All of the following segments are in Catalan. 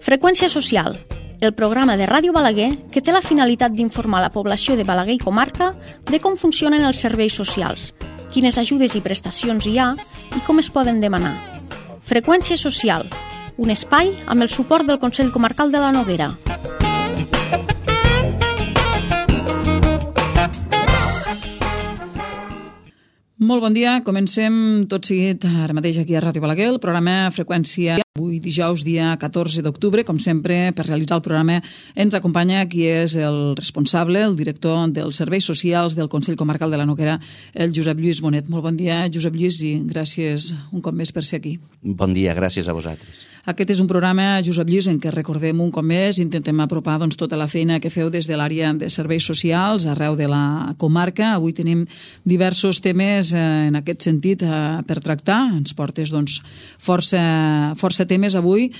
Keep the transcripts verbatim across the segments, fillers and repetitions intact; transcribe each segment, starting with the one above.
Freqüència social, el programa de Ràdio Balaguer que té la finalitat d'informar la població de Balaguer i comarca de com funcionen els serveis socials, quines ajudes i prestacions hi ha i com es poden demanar. Freqüència social, un espai amb el suport del Consell Comarcal de la Noguera. Molt bon dia, comencem tot seguit ara mateix aquí a Ràdio Balaguer, el programa Freqüència. Avui dijous, dia catorze d'octubre, com sempre, per realitzar el programa ens acompanya qui és el responsable, el director dels serveis socials del Consell Comarcal de la Noguera, el Josep Lluís Bonet. Molt bon dia, Josep Lluís, i gràcies un cop més per ser aquí. Bon dia, gràcies a vosaltres. Aquest és un programa, Josep Lluís, en què recordem un cop més, intentem apropar doncs, tota la feina que feu des de l'àrea de serveis socials arreu de la comarca. Avui tenim diversos temes eh, en aquest sentit eh, per tractar. Ens portes doncs, força, força temes avui.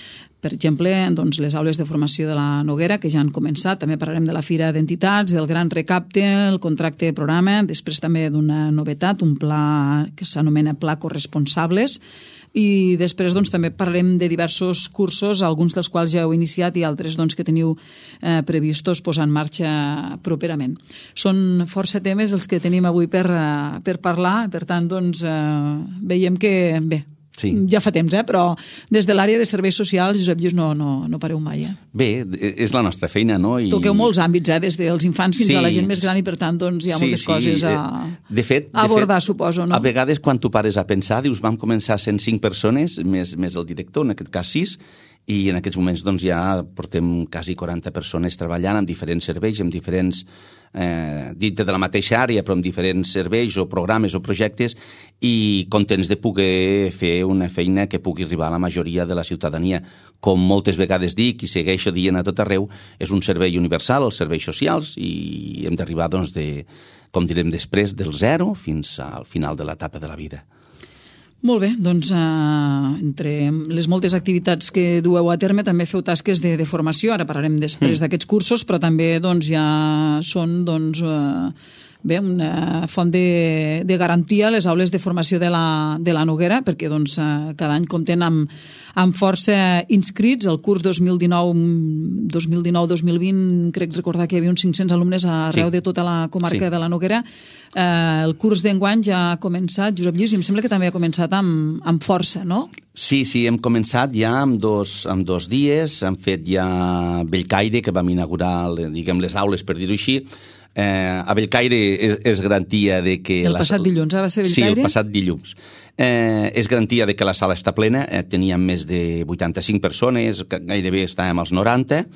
Per exemple, doncs, les aules de formació de la Noguera, que ja han començat. També parlarem de la Fira d'Entitats, del Gran Recapte, el contracte programa, després també d'una novetat, un pla que s'anomena Pla Corresponsables, i després doncs, també parlarem de diversos cursos, alguns dels quals ja heu iniciat i altres doncs, que teniu eh, previstos posar en marxa properament. Són força temes els que tenim avui per, uh, per parlar, per tant, doncs, uh, veiem que, bé, sí. Ja fa temps, eh? Però des de l'àrea de serveis socials, Josep Lluís, no, no, no pareu mai. Eh? Bé, és la nostra feina, no? I... Toqueu molts àmbits, eh? Des dels infants fins sí. a la gent més gran i, per tant, doncs, hi ha sí, moltes sí. coses a, de fet, a abordar, de fet, suposo, no? A vegades, quan tu pares a pensar, dius, vam començar sent cinc persones, més, més el director, en aquest cas sis, i en aquests moments doncs, ja portem quasi quaranta persones treballant en diferents serveis, en diferents, eh, dintre de la mateixa àrea, però en diferents serveis o programes o projectes, i contents de poder fer una feina que pugui arribar a la majoria de la ciutadania. Com moltes vegades dic i segueixo dient a tot arreu, és un servei universal, els serveis socials, i hem d'arribar, doncs, de, com direm després, del zero fins al final de l'etapa de la vida. Molt bé, doncs eh, entre les moltes activitats que dueu a terme també feu tasques de, de formació, ara parlarem després mm. d'aquests cursos, però també doncs, ja són doncs, eh, bé, una font de, de garantia a les aules de formació de la, de la Noguera, perquè doncs, eh, cada any compten amb, amb força inscrits. El curs dos mil dinou dos mil vint, crec recordar que hi havia uns cinc-cents alumnes arreu sí. de tota la comarca sí. de la Noguera. Eh, el curs d'enguany ja ha començat, Josep Lluís, i em sembla que també ha començat amb, amb força, no? Sí, sí, hem començat ja amb dos, amb dos dies, hem fet ja Bellcaire, que vam inaugurar, diguem, les aules, per dir-ho així. Eh, a Bellcaire és, és garantia de que... El passat les... dilluns, eh, va ser Bellcaire? Sí, el passat dilluns. Eh, és garantia de que la sala està plena, eh, teníem més de vuitanta-cinc persones, gairebé estàvem als noranta,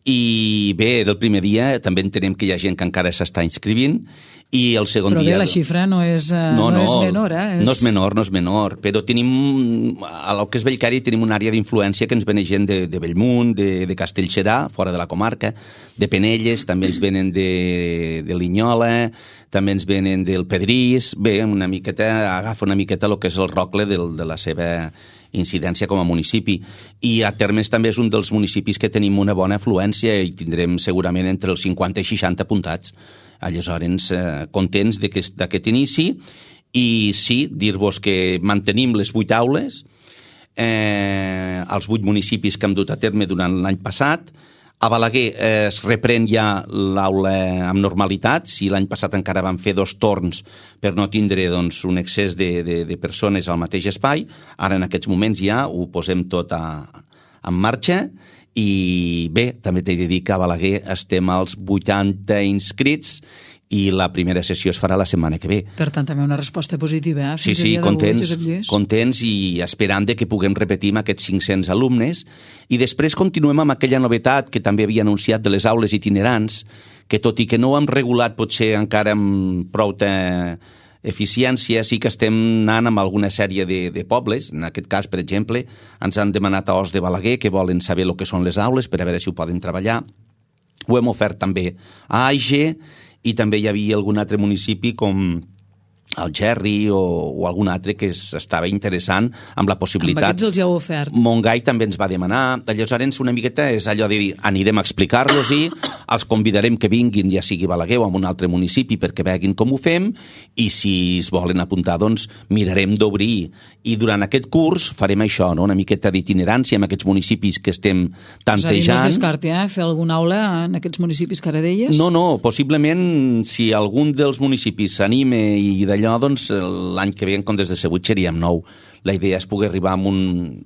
i bé, del primer dia també entenem que hi ha gent que encara s'està inscrivint, i el segon però dia... Però bé, la xifra no és, uh, no, no, no és menor, eh? És... No és menor, no és menor, però tenim, a lo que és Bellcaire, tenim una àrea d'influència que ens venen gent de, de Bellmunt, de, de Castellserà, fora de la comarca, de Penelles, també ens venen de, de Linyola, també ens venen del Pedrís, bé, una miqueta, agafa una miqueta el que és el rocle del, de la seva incidència com a municipi. I a Termes també és un dels municipis que tenim una bona afluència i tindrem segurament entre els cinquanta i seixanta apuntats. Aleshores, eh, contents d'aquest inici, i sí, dir-vos que mantenim les vuit aules, eh, als vuit municipis que hem dut a terme durant l'any passat. A Balaguer eh, es reprèn ja l'aula amb normalitat. Si l'any passat encara vam fer dos torns per no tindre doncs, un excés de, de, de persones al mateix espai, ara en aquests moments ja ho posem tot a, en marxa. I bé, també t'he de dir que a Balaguer estem als vuitanta inscrits i la primera sessió es farà la setmana que ve. Per tant, també una resposta positiva. Eh? Sí, sí, contents, contents i esperant de que puguem repetir amb aquests cinc-cents alumnes. I després continuem amb aquella novetat que també havia anunciat de les aules itinerants, que tot i que no ho hem regulat potser encara amb prou eficiència, sí que estem anant amb alguna sèrie de, de pobles. En aquest cas, per exemple, ens han demanat a Os de Balaguer que volen saber el que són les aules per a veure si ho poden treballar. Ho hem ofert també a Aige, i també hi havia algun altre municipi com el Gerri o, o algun altre que s'estava interessant amb la possibilitat. Amb aquests els ja heu ofert. Montgai també ens va demanar. Aleshores, una miqueta és allò de dir, anirem a explicar-los-hi, els convidarem que vinguin, ja sigui Balaguer o en un altre municipi, perquè veguin com ho fem, i si es volen apuntar, doncs mirarem d'obrir. I durant aquest curs farem això, no? Una miqueta d'itinerància en aquests municipis que estem tantejant. És a dir, no es descarti, eh? Fer alguna aula en aquests municipis que ara deies? No, no, possiblement si algun dels municipis s'anime i d'allò, doncs l'any que ve en comptes de ser vuit seríem nou. La idea és poder arribar a un...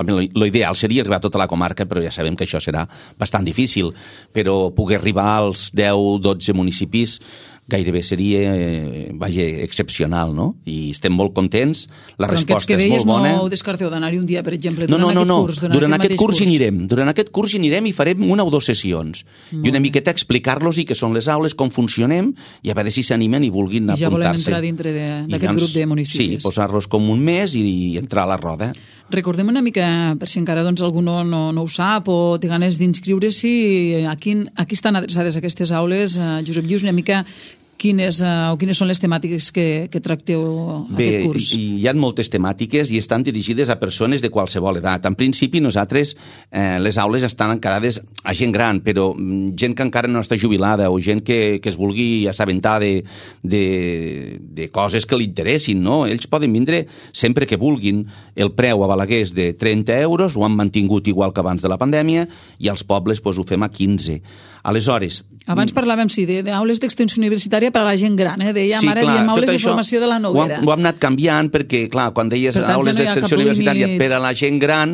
L'ideal seria arribar a tota la comarca, però ja sabem que això serà bastant difícil, però poder arribar als deu dotze municipis gairebé seria, eh, vaja, excepcional, no? I estem molt contents, la però resposta és molt bona. No descarteu d'anar-hi un dia, per exemple, no, durant no, no, aquest no. curs? Durant, durant aquest, aquest curs, curs hi anirem. Durant aquest curs hi anirem i farem una o dues sessions. Molt I una miqueta explicar-los i què són les aules, com funcionem, i a veure si s'animen i vulguin apuntar-se. I ja volem entrar dintre d'aquest grup de municipis. Sí, posar-los com un mes i, i entrar a la roda. Recordem una mica, per si encara doncs, algú no, no, no ho sap o té ganes d'inscriure-s'hi, a, quin, a qui estan adreçades aquestes aules, uh, Josep Lluís, una mica quines, uh, o quines són les temàtiques que, que tracteu Bé, aquest curs? Bé, hi ha moltes temàtiques i estan dirigides a persones de qualsevol edat. En principi, nosaltres, eh, les aules estan encarades a gent gran, però gent que encara no està jubilada o gent que, que es vulgui assabentar de, de, de coses que li interessin, no? Ells poden vindre sempre que vulguin. El preu a Balaguer és de trenta euros, ho han mantingut igual que abans de la pandèmia, i als pobles doncs, ho fem a quinze. Aleshores... Abans parlàvem, sí, d'aules d'extensió universitària per a la gent gran, eh? Dèiem, sí, ara clar, diem aules de això, formació de la Noguera. Ho hem, ho hem anat canviant perquè, clar, quan deies tant, aules ja no d'extensió universitària límit. per a la gent gran,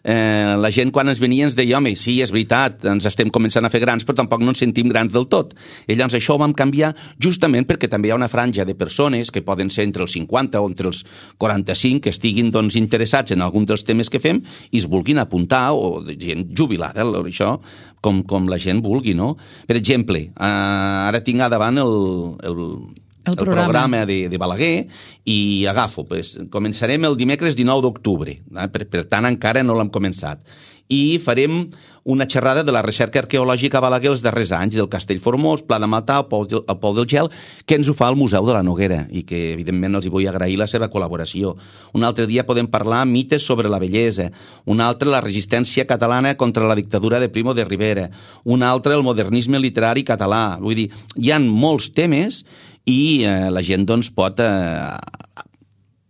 eh, la gent quan ens venia ens deia, home, sí, és veritat, ens estem començant a fer grans, però tampoc no ens sentim grans del tot. I llavors això ho vam canviar justament perquè també hi ha una franja de persones que poden ser entre els cinquanta o entre els quaranta-cinc que estiguin doncs, interessats en algun dels temes que fem i es vulguin apuntar, o gent jubilada, això, com, com la gent vulgui, no? Per exemple, eh, ara tinc a davant el, el, el, el programa, programa de, de Balaguer i agafo, pues, començarem el dimecres dinou d'octubre, eh? per, per tant encara no l'hem començat, i farem una xerrada de la recerca arqueològica a Balaguer els darrers anys, del Castell Formós, Pla de Matà, el Pou, el Pou del Gel, que ens ho fa el Museu de la Noguera i que evidentment els hi vull agrair la seva col·laboració. Un altre dia podem parlar mites sobre la bellesa, un altre la resistència catalana contra la dictadura de Primo de Rivera, un altre el modernisme literari català. Vull dir, hi ha molts temes i eh, la gent doncs, pot eh,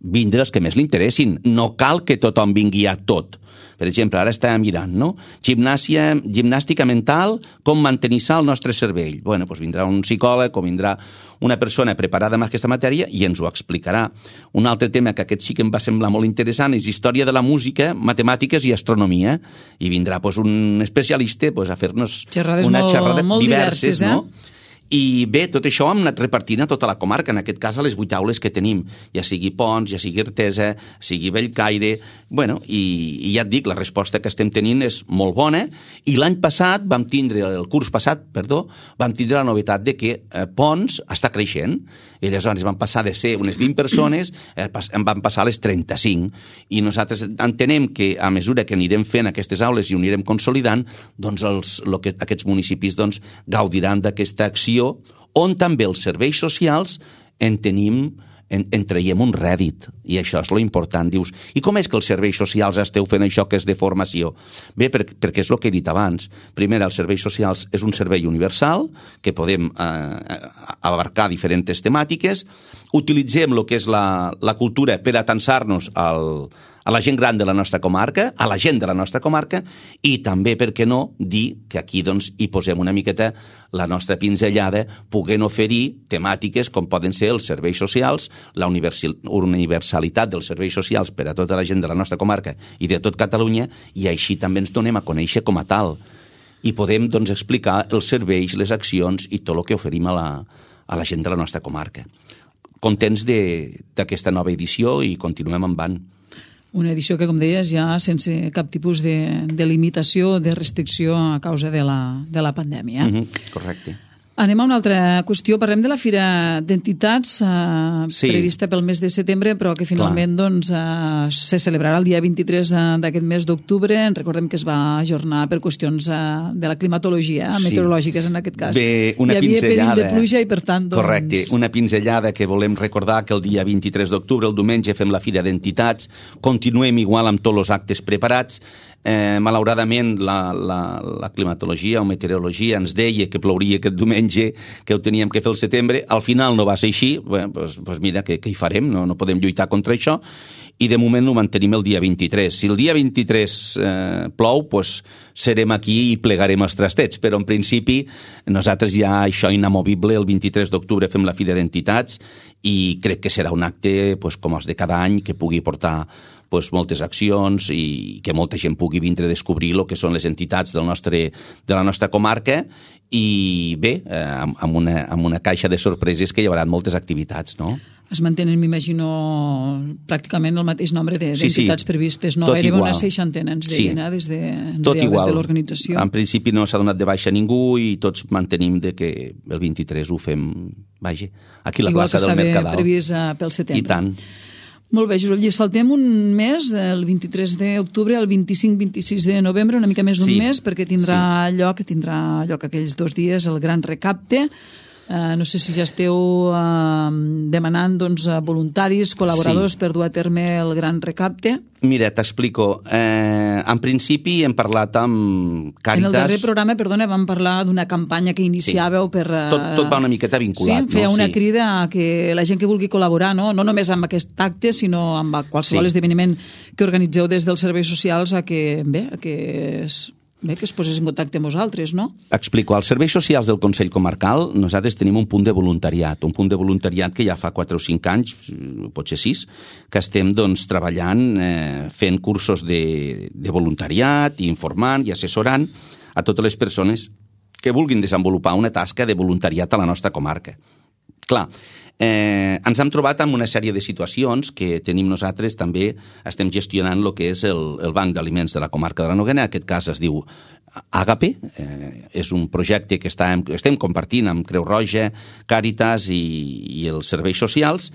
vindre els que més li interessin. No cal que tothom vingui a tot. Per exemple, ara estàvem mirant, no? Gimnàsia, gimnàstica mental, com mantenir sa el nostre cervell. Bueno, doncs vindrà un psicòleg o vindrà una persona preparada en aquesta matèria i ens ho explicarà. Un altre tema que aquest sí que em va semblar molt interessant és història de la música, matemàtiques i astronomia. I vindrà doncs, un especialista doncs, a fer-nos xerrades una molt, xerrada molt diverses, diverses, eh? no? I bé, tot això hem anat repartint a tota la comarca, en aquest cas a les vuit aules que tenim, ja sigui Pons, ja sigui Artesa, sigui Bellcaire, bueno, i, i ja et dic, la resposta que estem tenint és molt bona, i l'any passat vam tindre, el curs passat, perdó, vam tindre la novetat de que eh, Pons està creixent, i aleshores van passar de ser unes vint persones, eh, en van passar a les trenta-cinc, i nosaltres entenem que a mesura que anirem fent aquestes aules i ho anirem consolidant, doncs els, lo que, aquests municipis doncs, gaudiran d'aquesta acció on també els serveis socials en tenim, en, en traiem un rèdit, i això és lo important. Dius, i com és que els serveis socials esteu fent això que és de formació? Bé, per, perquè és el que he dit abans. Primer, els serveis socials és un servei universal, que podem eh, abarcar diferents temàtiques, utilitzem el que és la, la cultura per atansar-nos al a la gent gran de la nostra comarca, a la gent de la nostra comarca, i també, per què no, dir que aquí doncs, hi posem una miqueta la nostra pinzellada, poguent oferir temàtiques com poden ser els serveis socials, la universalitat dels serveis socials per a tota la gent de la nostra comarca i de tot Catalunya, i així també ens donem a conèixer com a tal. I podem doncs, explicar els serveis, les accions i tot el que oferim a la, a la gent de la nostra comarca. Contents d'aquesta nova edició i continuem endavant. Una edició que, com deies, ja sense cap tipus de, de limitació, de restricció a causa de la, de la pandèmia. Mm-hmm, correcte. Anem a una altra qüestió. Parlem de la Fira d'Entitats eh, sí. prevista pel mes de setembre, però que finalment doncs, eh, se celebrarà el dia vint-i-tres d'aquest mes d'octubre. Recordem que es va ajornar per qüestions eh, de la climatologia, sí. meteorològiques en aquest cas. Bé, una Hi havia pinzellada. perill de pluja i per tant... Doncs... Correcte, una pinzellada que volem recordar que el dia vint-i-tres d'octubre, el diumenge, fem la Fira d'Entitats, continuem igual amb tots els actes preparats. Eh, malauradament la, la, la climatologia o meteorologia ens deia que plouria aquest diumenge, que ho teníem que fer el setembre. Al final no va ser així. Bé, doncs, doncs mira, què, què hi farem? No, no podem lluitar contra això. I de moment ho mantenim el dia vint-i-tres. Si el dia vint-i-tres eh, plou, doncs serem aquí i plegarem els trastets. Però en principi nosaltres ja això inamovible, el vint-i-tres d'octubre fem la Fira d'Entitats i crec que serà un acte doncs, com els de cada any que pugui portar pues, moltes accions i que molta gent pugui vindre a descobrir el que són les entitats del nostre, de la nostra comarca i bé, eh, amb, una, amb una caixa de sorpreses que hi haurà moltes activitats, no? Es mantenen, m'imagino, pràcticament el mateix nombre d'entitats sí, sí. previstes, no? Gairebé una seixantena, ens deien, sí. des de, ens Tot igual. Des de l'organització. En principi no s'ha donat de baixa a ningú i tots mantenim de que el vint-i-tres ho fem, vaja, aquí a la igual plaça del Mercadal. Igual que estava previst pel setembre. I tant. Molt bé, Josep Lluís, saltem un mes, del vint-i-tres d'octubre al vint-i-cinc vint-i-sis de novembre, una mica més d'un sí. mes, perquè tindrà sí. lloc, tindrà lloc aquells dos dies el gran recapte. Uh, no sé si ja esteu uh, demanant doncs, voluntaris, col·laboradors sí. per dur a terme el gran recapte. Mira, t'explico. Eh, en principi hem parlat amb Càritas... En el darrer programa, perdona, vam parlar d'una campanya que iniciàveu sí. per... Uh... Tot, tot va una miqueta vinculat. Sí, feia no? una sí. crida a que la gent que vulgui col·laborar, no, no només amb aquest acte, sinó amb qualsevol sí. esdeveniment que organitzeu des dels serveis socials, a que, bé, a que es... Bé, que es posés en contacte amb vosaltres, no? Explico. Als serveis socials del Consell Comarcal nosaltres tenim un punt de voluntariat, un punt de voluntariat que ja fa quatre o cinc anys, potser sis, que estem doncs, treballant, eh, fent cursos de, de voluntariat, informant i assessorant a totes les persones que vulguin desenvolupar una tasca de voluntariat a la nostra comarca. Clar, eh, ens hem trobat amb una sèrie de situacions que tenim nosaltres, també estem gestionant el que és el, el Banc d'Aliments de la comarca de la Noguera, en aquest cas es diu Àgape, eh, és un projecte que està, estem compartint amb Creu Roja, Càritas i, i els serveis socials,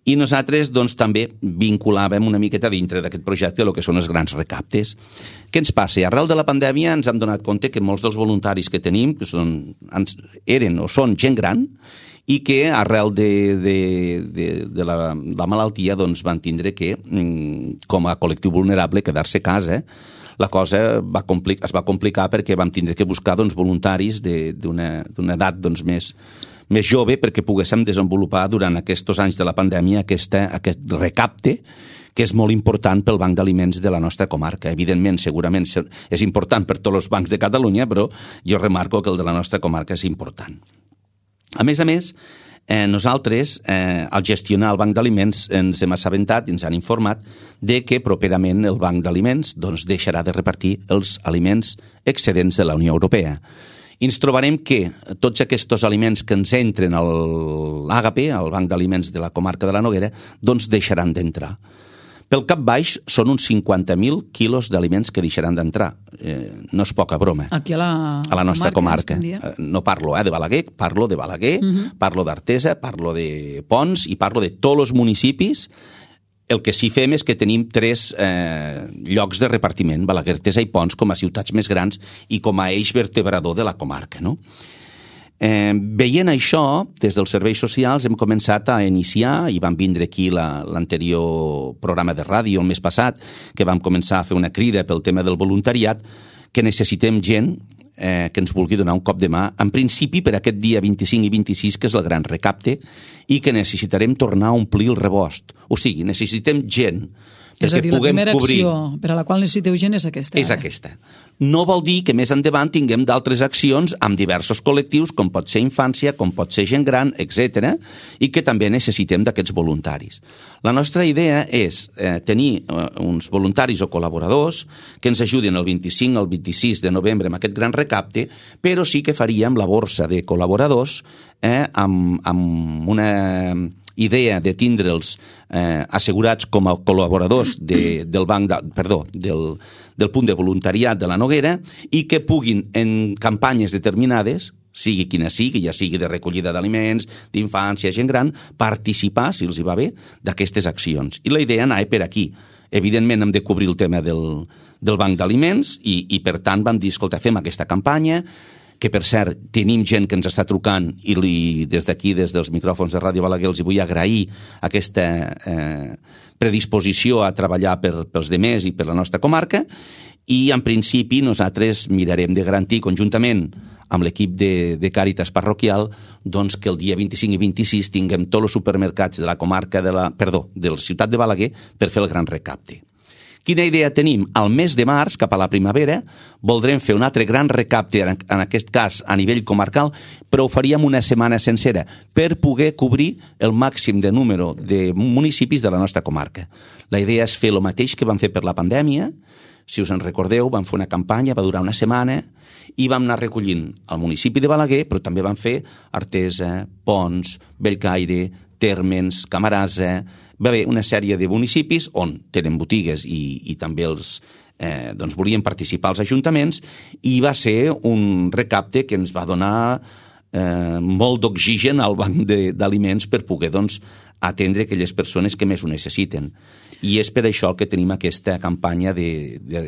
i nosaltres doncs, també vinculàvem una miqueta dintre d'aquest projecte el que són els grans recaptes. Què ens passa? Arrel de la pandèmia ens hem donat compte que molts dels voluntaris que tenim que són, eren o són gent gran i que arrel de, de, de, de la, la malaltia doncs, van tindre que, com a col·lectiu vulnerable, quedar-se a casa. La cosa va complicar, es va complicar perquè vam tindre que buscar doncs, voluntaris d'una edat doncs, més, més jove perquè poguéssim desenvolupar durant aquests anys de la pandèmia aquesta, aquest recapte que és molt important pel Banc d'Aliments de la nostra comarca. Evidentment, segurament és important per tots els bancs de Catalunya, però jo remarco que el de la nostra comarca és important. A més a més, eh, nosaltres, eh, al gestionar el Banc d'Aliments, ens hem assabentat i ens han informat de que properament el Banc d'Aliments doncs, deixarà de repartir els aliments excedents de la Unió Europea. I ens trobarem que tots aquests aliments que ens entren a l'Àgape, al Banc d'Aliments de la comarca de la Noguera, doncs deixaran d'entrar. Pel cap baix són uns cinquanta mil quilos d'aliments que deixaran d'entrar. Eh, no és poca broma. Aquí a la, a la nostra comarca. comarca. No parlo eh, de Balaguer, parlo de Balaguer, uh-huh. parlo d'Artesa, parlo de Pons i parlo de tots els municipis. El que sí fem és que tenim tres eh, llocs de repartiment, Balaguer, Artesa i Pons, com a ciutats més grans i com a eix vertebrador de la comarca, no? Eh, veient això, des dels serveis socials hem començat a iniciar, i vam vindre aquí la, l'anterior programa de ràdio el mes passat, que vam començar a fer una crida pel tema del voluntariat, que necessitem gent eh, que ens vulgui donar un cop de mà, en principi per aquest dia vint-i-cinc i vint-i-sis, que és el gran recapte, i que necessitarem tornar a omplir el rebost. O sigui, necessitem gent és a dir, la primera cobrir... acció per a la qual necessiteu gent és aquesta. És aquesta. No vol dir que més endavant tinguem d'altres accions amb diversos col·lectius, com pot ser infància, com pot ser gent gran, etcètera, i que també necessitem d'aquests voluntaris. La nostra idea és eh, tenir eh, uns voluntaris o col·laboradors que ens ajudin el vint-i-cinc al vint-i-sis de novembre amb aquest gran recapte, però sí que faríem la borsa de col·laboradors eh, amb, amb una idea de tindre'ls eh, assegurats com a col·laboradors de, del banc de, perdó, del, del punt de voluntariat de la Noguera i que puguin en campanyes determinades, sigui quina sigui, ja sigui de recollida d'aliments, d'infància, gent gran, participar, si els hi va bé, d'aquestes accions. I la idea anava per aquí. Evidentment hem de cobrir el tema del, del banc d'aliments i, i per tant vam dir, escolta, fem aquesta campanya, que per cert tenim gent que ens està trucant i li, des d'aquí, des dels micròfons de Ràdio Balaguer, els hi vull agrair aquesta eh, predisposició a treballar per, pels demés i per la nostra comarca, i en principi nosaltres mirarem de garantir conjuntament amb l'equip de, de Càritas parroquial doncs que el dia vint-i-cinc i vint-i-sis tinguem tots els supermercats de la comarca de la, perdó, de la ciutat de Balaguer per fer el gran recapte. Quina idea tenim? Al mes de març, cap a la primavera, voldrem fer un altre gran recapte, en aquest cas a nivell comarcal, però ho faríem una setmana sencera per poder cobrir el màxim de número de municipis de la nostra comarca. La idea és fer el mateix que vam fer per la pandèmia. Si us en recordeu, vam fer una campanya, va durar una setmana, i vam anar recollint el municipi de Balaguer, però també vam fer Artesa, Pons, Bellcaire, Térmens, Camarasa. Va haver una sèrie de municipis on tenen botigues i, i també els eh, doncs volien participar els ajuntaments, i va ser un recapte que ens va donar eh, molt d'oxigen al banc d'aliments per poder doncs, atendre aquelles persones que més ho necessiten. I és per això que tenim aquesta campanya de, de,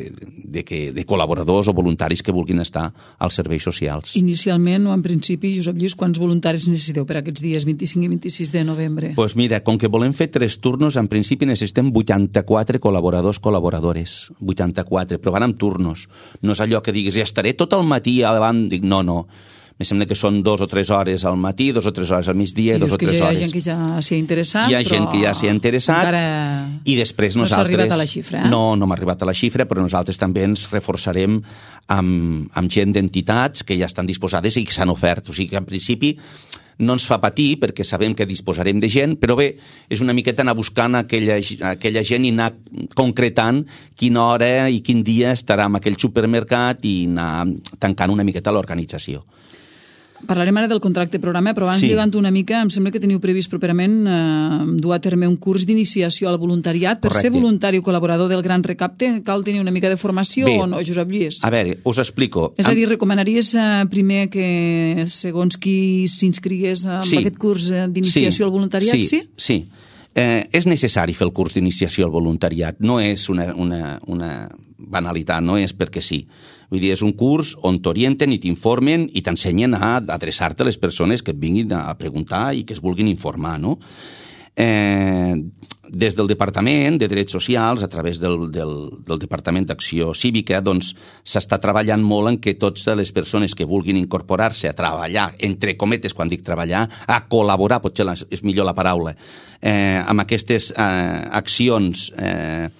de, que, de col·laboradors o voluntaris que vulguin estar als serveis socials. Inicialment o en principi, Josep Lluís, quants voluntaris necessiteu per aquests dies vint-i-cinc i vint-i-sis de novembre? Doncs pues mira, com que volem fer tres turnos, en principi necessitem vuitanta-quatre col·laboradors, col·laboradores. vuitanta-quatre, però van amb turnos. No és allò que diguis, ja estaré tot el matí davant. Dic, no, no. Me sembla que són dos o tres hores al matí, dos o tres hores al migdia i dos o tres hores. Hi ha gent que ja s'hi ha interessat, hi ha gent que ja s'hi ha interessat, encara i després nosaltres... no s'ha arribat a la xifra, eh? No, no m'ha arribat a la xifra, però nosaltres també ens reforçarem amb, amb gent d'entitats que ja estan disposades i que s'han ofert. O sigui que en principi no ens fa patir perquè sabem que disposarem de gent, però bé, és una miqueta anar buscant aquella, aquella gent i anar concretant quina hora i quin dia estarà en aquell supermercat i anar tancant una miqueta l'organització. Parlarem ara del contracte programa, però abans, sí. lligant una mica, em sembla que teniu previst properament eh, dur a terme un curs d'iniciació al voluntariat. Per Correcte. Ser voluntari o col·laborador del Gran Recapte cal tenir una mica de formació. Bé, o no, Josep Lluís? A veure, us explico. És a dir, recomanaries eh, primer que segons qui s'inscrigués en sí. aquest curs d'iniciació sí. al voluntariat? Sí, sí. sí. Eh, és necessari fer el curs d'iniciació al voluntariat. No és una, una, una banalitat, no és perquè sí. Vull dir, és un curs on t'orienten i t'informen i t'ensenyen a adreçar-te a les persones que et vinguin a preguntar i que es vulguin informar, no? Eh, des del Departament de Drets Socials, a través del, del, del Departament d'Acció Cívica, doncs s'està treballant molt en que totes les persones que vulguin incorporar-se a treballar, entre cometes, quan dic treballar, a col·laborar, potser és millor la paraula, eh, amb aquestes eh, accions eh,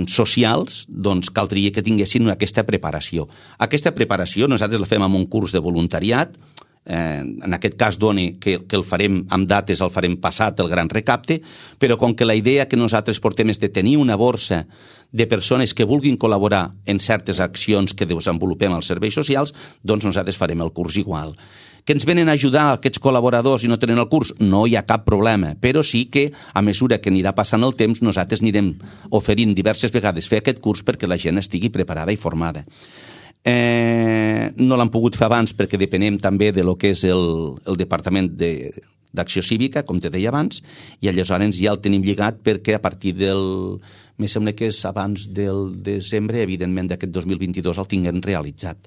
socials, doncs caldria que tinguessin aquesta preparació. Aquesta preparació nosaltres la fem amb un curs de voluntariat, eh, en aquest cas doni que, que el farem amb dates, el farem passat el gran recapte, però com que la idea que nosaltres portem és de tenir una borsa de persones que vulguin col·laborar en certes accions que desenvolupem als serveis socials, doncs nosaltres farem el curs igual. Que ens venen a ajudar aquests col·laboradors i no tenen el curs? No hi ha cap problema, però sí que a mesura que anirà passant el temps nosaltres anirem oferint diverses vegades fer aquest curs perquè la gent estigui preparada i formada. Eh, no l'han pogut fer abans perquè depenem també de lo que és el, el Departament de, d'Acció Cívica, com te deia abans, i aleshores ja el tenim lligat perquè a partir del... Me sembla que és abans del desembre, evidentment, d'aquest dos mil vint-i-dos el tinguem realitzat.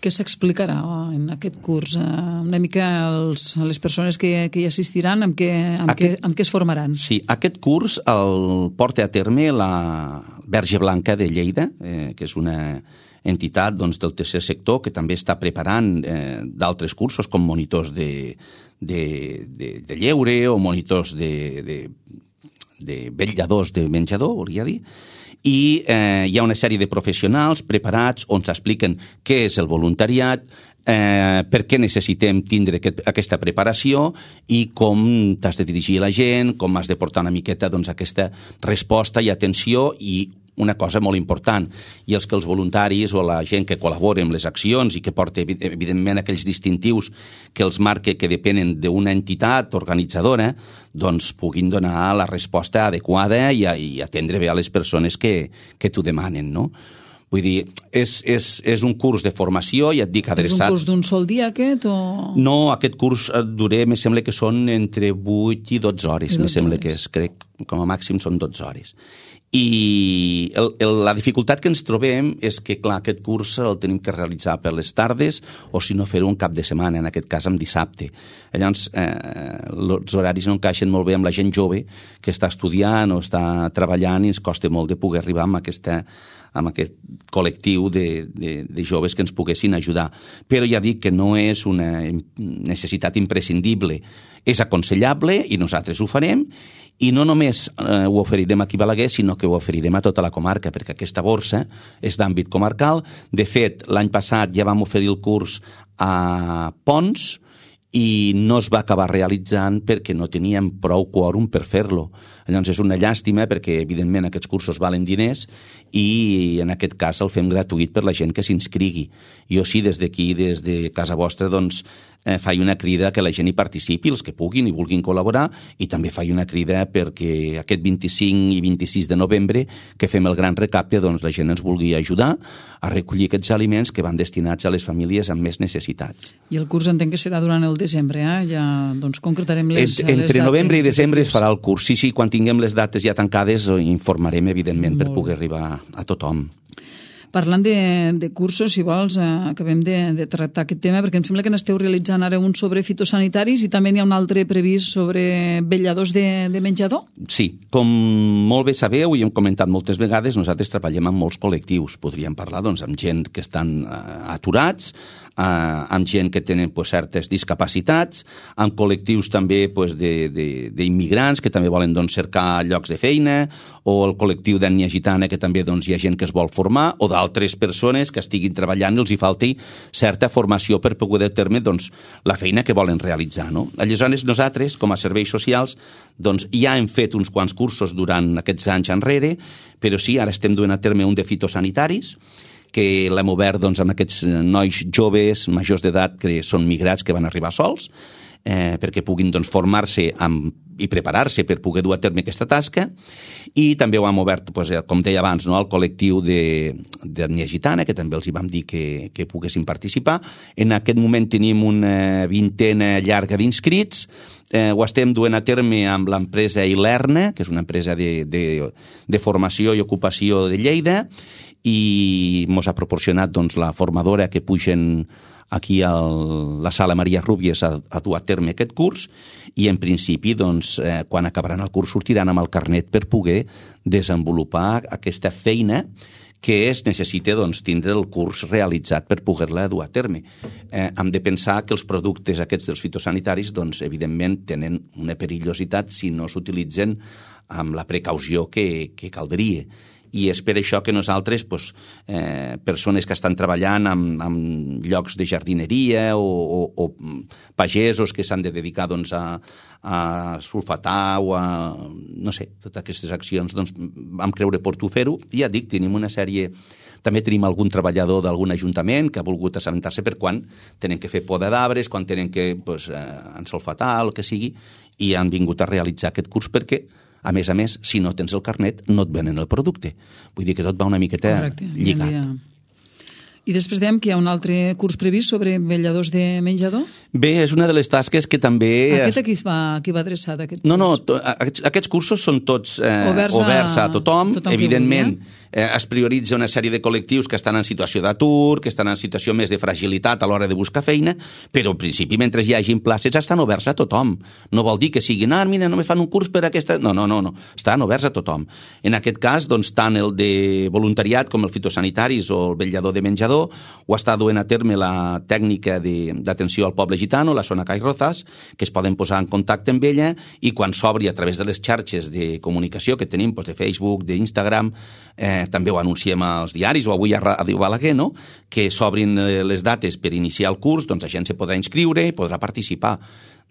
Què s'explicarà en aquest curs? Una mica els, les persones que, que hi assistiran, amb què, amb, aquest, què, amb què es formaran? Sí, aquest curs el porta a terme la Verge Blanca de Lleida, eh, que és una entitat doncs, del tercer sector que també està preparant eh, d'altres cursos com monitors de, de, de, de lleure o monitors de, de, de vetlladors de menjador, hauria de dir, i eh, hi ha una sèrie de professionals preparats on s'expliquen què és el voluntariat, eh, per què necessitem tindre aquest, aquesta preparació i com t'has de dirigir a la gent, com has de portar una miqueta doncs, aquesta resposta i atenció i una cosa molt important, i els que els voluntaris o la gent que col·labora amb les accions i que porta evidentment aquells distintius que els marca que depenen d'una entitat organitzadora, doncs puguin donar la resposta adequada i, i atendre bé a les persones que, que t'ho demanen, no? Vull dir, és, és, és un curs de formació, ja et dic, adreçat... És un curs d'un sol dia, aquest, o...? No, aquest curs duré, me sembla que són entre vuit i dotze hores, me sembla que és, crec, com a màxim són dotze hores. I el, el, la dificultat que ens trobem és que, clar, aquest curs el tenim que realitzar per les tardes o, si no, fer-ho un cap de setmana, en aquest cas en dissabte. Llavors, eh, els horaris no encaixen molt bé amb la gent jove que està estudiant o està treballant i ens costa molt de poder arribar amb, aquesta, amb aquest col·lectiu de, de, de joves que ens poguessin ajudar. Però ja dic que no és una necessitat imprescindible. És aconsellable i nosaltres ho farem. I no només eh, ho oferirem aquí a Balaguer, sinó que ho oferirem a tota la comarca, perquè aquesta borsa és d'àmbit comarcal. De fet, l'any passat ja vam oferir el curs a Pons i no es va acabar realitzant perquè no teníem prou quòrum per fer-lo. Llavors és una llàstima perquè, evidentment, aquests cursos valen diners i en aquest cas el fem gratuït per la gent que s'inscrigui. Jo sí, des d'aquí, des de casa vostra, doncs, eh, faig una crida que la gent hi participi, els que puguin i vulguin col·laborar, i també faig una crida perquè aquest vint-i-cinc i vint-i-sis de novembre, que fem el gran recapte, doncs la gent ens vulgui ajudar a recollir aquests aliments que van destinats a les famílies amb més necessitats. I el curs entenc que serà durant el desembre, eh? Ja doncs, concretarem les, es, les entre dates. novembre i desembre es farà el curs. Sí, sí, quan tinguem les dates ja tancades informarem, evidentment, Molt per poder arribar a tothom. Parlant de, de cursos, si vols, eh, acabem de, de tractar aquest tema, perquè em sembla que n'esteu realitzant ara un sobre fitosanitaris i també n'hi ha un altre previst sobre vetlladors de, de menjador? Sí, com molt bé sabeu i hem comentat moltes vegades, nosaltres treballem amb molts col·lectius. Podríem parlar doncs, amb gent que estan uh, aturats, Uh, amb gent que tenen pues, certes discapacitats, amb col·lectius també pues, d'immigrants que també volen doncs, cercar llocs de feina, o el col·lectiu d'ètnia gitana que també doncs, hi ha gent que es vol formar, o d'altres persones que estiguin treballant i els hi falti certa formació per poder dur a terme doncs, la feina que volen realitzar. No? Aleshores, nosaltres, com a serveis socials, doncs, ja hem fet uns quants cursos durant aquests anys enrere, però sí, ara estem duent a terme un de fitosanitaris, que l'hem obert doncs, amb aquests nois joves, majors d'edat, que són migrats, que van arribar sols, eh, perquè puguin doncs, formar-se amb, i preparar-se per poder dur a terme aquesta tasca. I també ho hem obert, doncs, com deia abans, no, al col·lectiu d'ètnia gitana, que també els hi vam dir que, que poguessin participar. En aquest moment tenim una vintena llarga d'inscrits. Eh, ho estem duent a terme amb l'empresa Ilerna, que és una empresa de, de, de formació i ocupació de Lleida, i ens ha proporcionat doncs, la formadora que pugen aquí a la sala Maria Rúbies a, a dur a terme aquest curs, i en principi doncs, eh, quan acabaran el curs sortiran amb el carnet per poder desenvolupar aquesta feina que es necessita doncs, tindre el curs realitzat per poder-la dur a terme. Eh, hem de pensar que els productes aquests dels fitosanitaris doncs, evidentment tenen una perillositat si no s'utilitzen amb la precaució que, que caldria. I és per això que nosaltres, doncs, eh, persones que estan treballant en, en llocs de jardineria o, o, o pagesos que s'han de dedicar doncs, a, a sulfatar o a, no sé, totes aquestes accions, doncs, vam creure oportú fer-ho. I ja dic, tenim una sèrie... També tenim algun treballador d'algun ajuntament que ha volgut assabentar-se per quan tenen que fer poda d'arbres, quan tenen que pues, eh, ensulfatar, el que sigui, i han vingut a realitzar aquest curs perquè, a més a més, si no tens el carnet, no et venen el producte. Vull dir que tot va una miqueta Correcte, lligat. Ja. I després dèiem que hi ha un altre curs previst sobre vetlladors de menjador? Bé, és una de les tasques que també... Aquest aquí va, aquí va adreçat, aquest curs? No, no, to, aquests, aquests cursos són tots eh, oberts, a, oberts a tothom. tothom Evidentment, eh, es prioritza una sèrie de col·lectius que estan en situació d'atur, que estan en situació més de fragilitat a l'hora de buscar feina, però en principi, mentre hi hagin places, estan oberts a tothom. No vol dir que siguin, ah, mira, no me fan un curs per aquesta... No, no, no, no. Estan oberts a tothom. En aquest cas, doncs, tant el de voluntariat com el fitosanitaris o el vetllador de menjador ho està duent a terme la tècnica d'atenció al poble gitano, la zona Cai Rozas, que es poden posar en contacte amb ella i quan s'obri a través de les xarxes de comunicació que tenim, doncs de Facebook, d'Instagram, eh, també ho anunciem als diaris o avui a Ràdio Balaguer, no? Que s'obrin les dates per iniciar el curs, doncs la gent se podrà inscriure i podrà participar.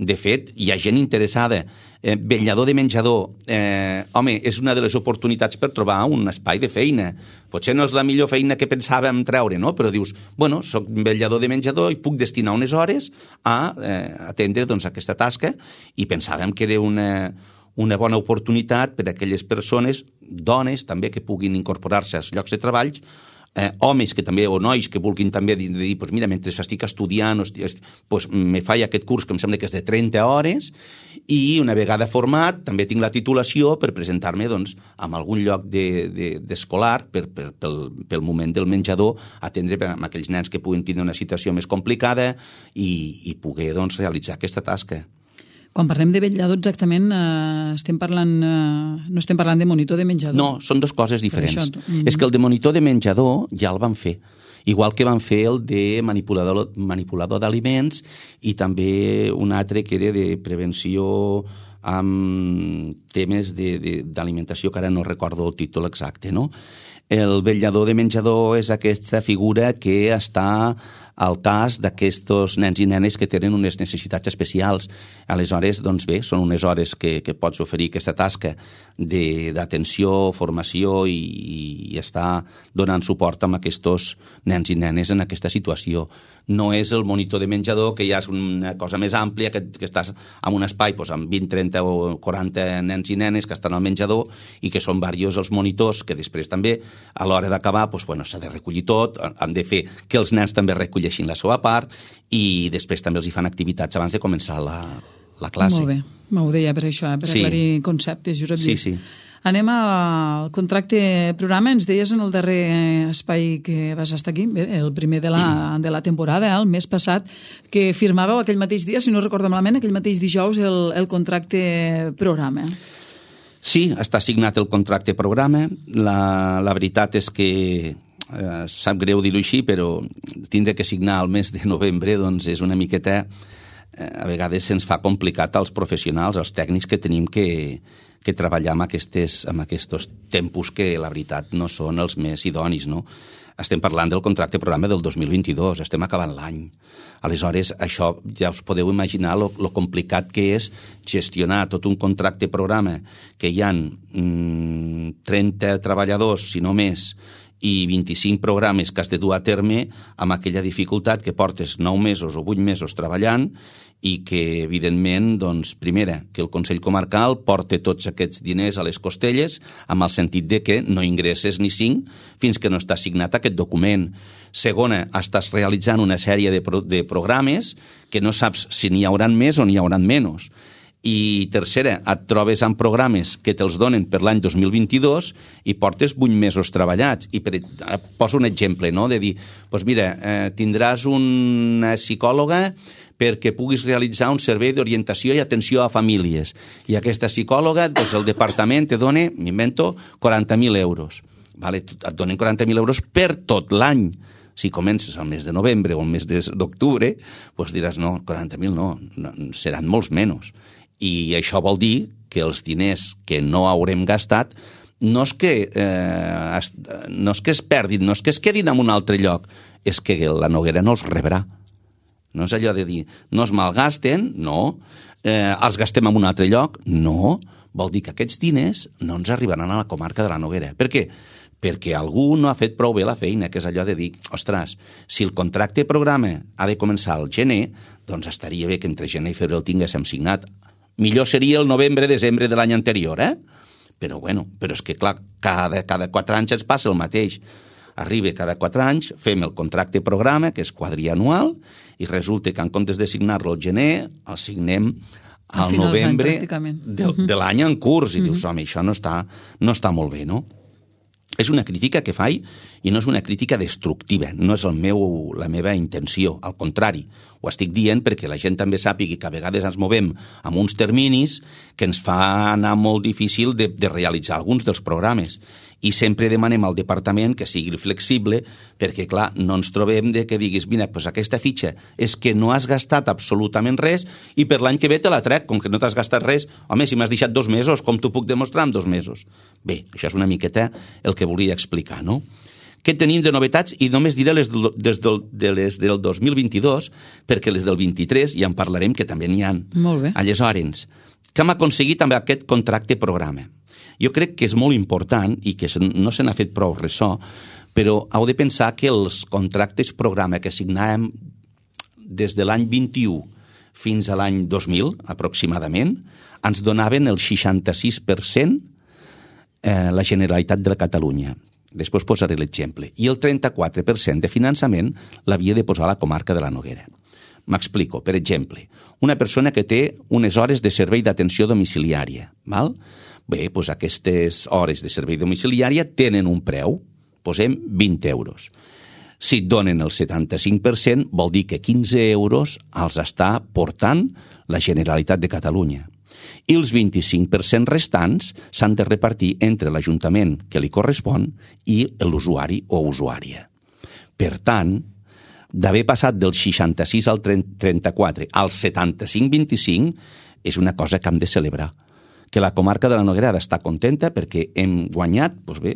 De fet, hi ha gent interessada. Eh, vetllador de menjador, eh, home, és una de les oportunitats per trobar un espai de feina. Potser no és la millor feina que pensàvem treure, no? Però dius, bueno, soc vetllador de menjador i puc destinar unes hores a eh, atendre doncs, aquesta tasca, i pensàvem que era una, una bona oportunitat per a aquelles persones, dones també, que puguin incorporar-se als llocs de treball Eh, homes que també, o nois que vulguin també dir, dir pues mira, mentre estic estudiant, pues, me faig aquest curs que em sembla que és de trenta hores, i una vegada format també tinc la titulació per presentar-me doncs, en algun lloc d'escolar de, de, per, per, pel, pel moment del menjador, atendre amb aquells nens que puguin tenir una situació més complicada i, i poder doncs, realitzar aquesta tasca. Quan parlem de vetllador, exactament, eh, estem parlant, eh, no estem parlant de monitor de menjador. No, són dues coses diferents. Això, mm-hmm. És que el de monitor de menjador ja el van fer, igual que van fer el de manipulador, manipulador d'aliments i també un altre que era de prevenció amb temes d'alimentació, que ara no recordo el títol exacte, no? El vetllador de menjador és aquesta figura que està al cas d'aquests nens i nenes que tenen unes necessitats especials. Aleshores, doncs bé, són unes hores que, que pots oferir aquesta tasca d'atenció, formació i, i estar donant suport amb aquests nens i nenes en aquesta situació. No és el monitor de menjador, que ja és una cosa més àmplia, que, que estàs en un espai doncs, amb vint, trenta o quaranta nens i nenes que estan al menjador i que són diversos els monitors, que després també, a l'hora d'acabar, doncs, bueno, s'ha de recollir tot, han de fer que els nens també recolleixin la seva part i després també els hi fan activitats abans de començar la, la classe. Molt bé, m'ho deia per això, eh? per sí. aclarir conceptes, Josep Lluís. Sí, sí. Anem al contracte programa. Ens deies en el darrer espai que vas estar aquí, el primer de la, de la temporada, el mes passat, que firmàveu aquell mateix dia, si no recordo malament, aquell mateix dijous, el, el contracte programa. Sí, està signat el contracte programa. La, la veritat és que eh, sap greu dir-ho així, però tindre que signar el mes de novembre doncs és una miqueta, eh, a vegades se'ns fa complicat als professionals, als tècnics que tenim que que treballar amb aquests, amb aquests tempos que, la veritat, no són els més idonis, no? Estem parlant del contracte programa del dos mil vint-i-dos, estem acabant l'any. Aleshores, això ja us podeu imaginar lo, lo complicat que és gestionar tot un contracte programa que hi ha mmm, trenta treballadors, si no més, i vint-i-cinc programes que has de dur a terme amb aquella dificultat que portes nou mesos o vuit mesos treballant i que, evidentment, doncs, primera, que el Consell Comarcal porta tots aquests diners a les costelles amb el sentit de que no ingresses ni cinc fins que no està signat aquest document. Segona, estàs realitzant una sèrie de, pro de programes que no saps si n'hi hauran més o n'hi hauran menys. I tercera, et trobes amb programes que te'ls donen per l'any dos mil vint-i-dos i portes vuit mesos treballats. I per, poso un exemple, no?, de dir, doncs mira, eh, tindràs una psicòloga perquè puguis realitzar un servei d'orientació i atenció a famílies. I aquesta psicòloga, doncs el departament te dona, m'invento, quaranta mil euros. Vale? Et donen quaranta mil euros per tot l'any. Si comences al mes de novembre o al mes d'octubre, doncs diràs, no, quaranta mil no, no, seran molts menys. I això vol dir que els diners que no haurem gastat no és que, eh, es, no és que es perdin, no és que es quedin en un altre lloc, és que la Noguera no els rebrà. No és allò de dir, no es malgasten, no. Eh, els gastem en un altre lloc, no. Vol dir que aquests diners no ens arribaran a la comarca de la Noguera. Per què? Perquè algú no ha fet prou bé la feina, que és allò de dir, ostres, si el contracte programa ha de començar al gener, doncs estaria bé que entre gener i febrer el tinguéssim signat. Millor seria el novembre-desembre de l'any anterior, eh? Però bueno, però és que clar, cada, cada quatre anys ens passa el mateix. Arriba cada quatre anys, fem el contracte programa, que és quadrianual, i resulta que en comptes de signar-lo al gener, el signem al novembre de, de l'any en curs. I dius, home, això no està, no està molt bé, no? És una crítica que faig i no és una crítica destructiva, no és el meu, la meva intenció, al contrari. Ho estic dient perquè la gent també sàpigui que a vegades ens movem amb uns terminis que ens fa anar molt difícil de, de realitzar alguns dels programes. I sempre demanem al departament que sigui flexible perquè, clar, no ens trobem de que diguis, mira, doncs aquesta fitxa és que no has gastat absolutament res i per l'any que ve te la trec, com que no t'has gastat res. Home, si m'has deixat dos mesos, com t'ho puc demostrar en dos mesos? Bé, això és una miqueta el que volia explicar, no? Què tenim de novetats? I només diré les, des del, de les del dos mil vint-i-dos, perquè les del vint-i-tres ja en parlarem, que també n'hi ha. Molt bé. Aleshores, què hem aconseguit amb aquest contracte programa? Jo crec que és molt important i que no se n'ha fet prou ressò, però heu de pensar que els contractes programa que signàvem des de l'any vint-i-u fins a l'any dos mil, aproximadament, ens donaven el seixanta-sis per cent eh, la Generalitat de Catalunya. Després posaré l'exemple. I el trenta-quatre per cent de finançament l'havia de posar la comarca de la Noguera. M'explico. Per exemple, una persona que té unes hores de servei d'atenció domiciliària, val? Bé, doncs aquestes hores de servei domiciliària tenen un preu, posem vint euros. Si et donen el setanta-cinc per cent, vol dir que quinze euros els està portant la Generalitat de Catalunya. I els vint-i-cinc per cent restants s'han de repartir entre l'Ajuntament que li correspon i l'usuari o usuària. Per tant, d'haver passat del seixanta-sis al trenta-quatre al setanta-cinc vint-i-cinc és una cosa que hem de celebrar. Que la comarca de la Noguera ha d'estar contenta perquè hem guanyat, doncs bé,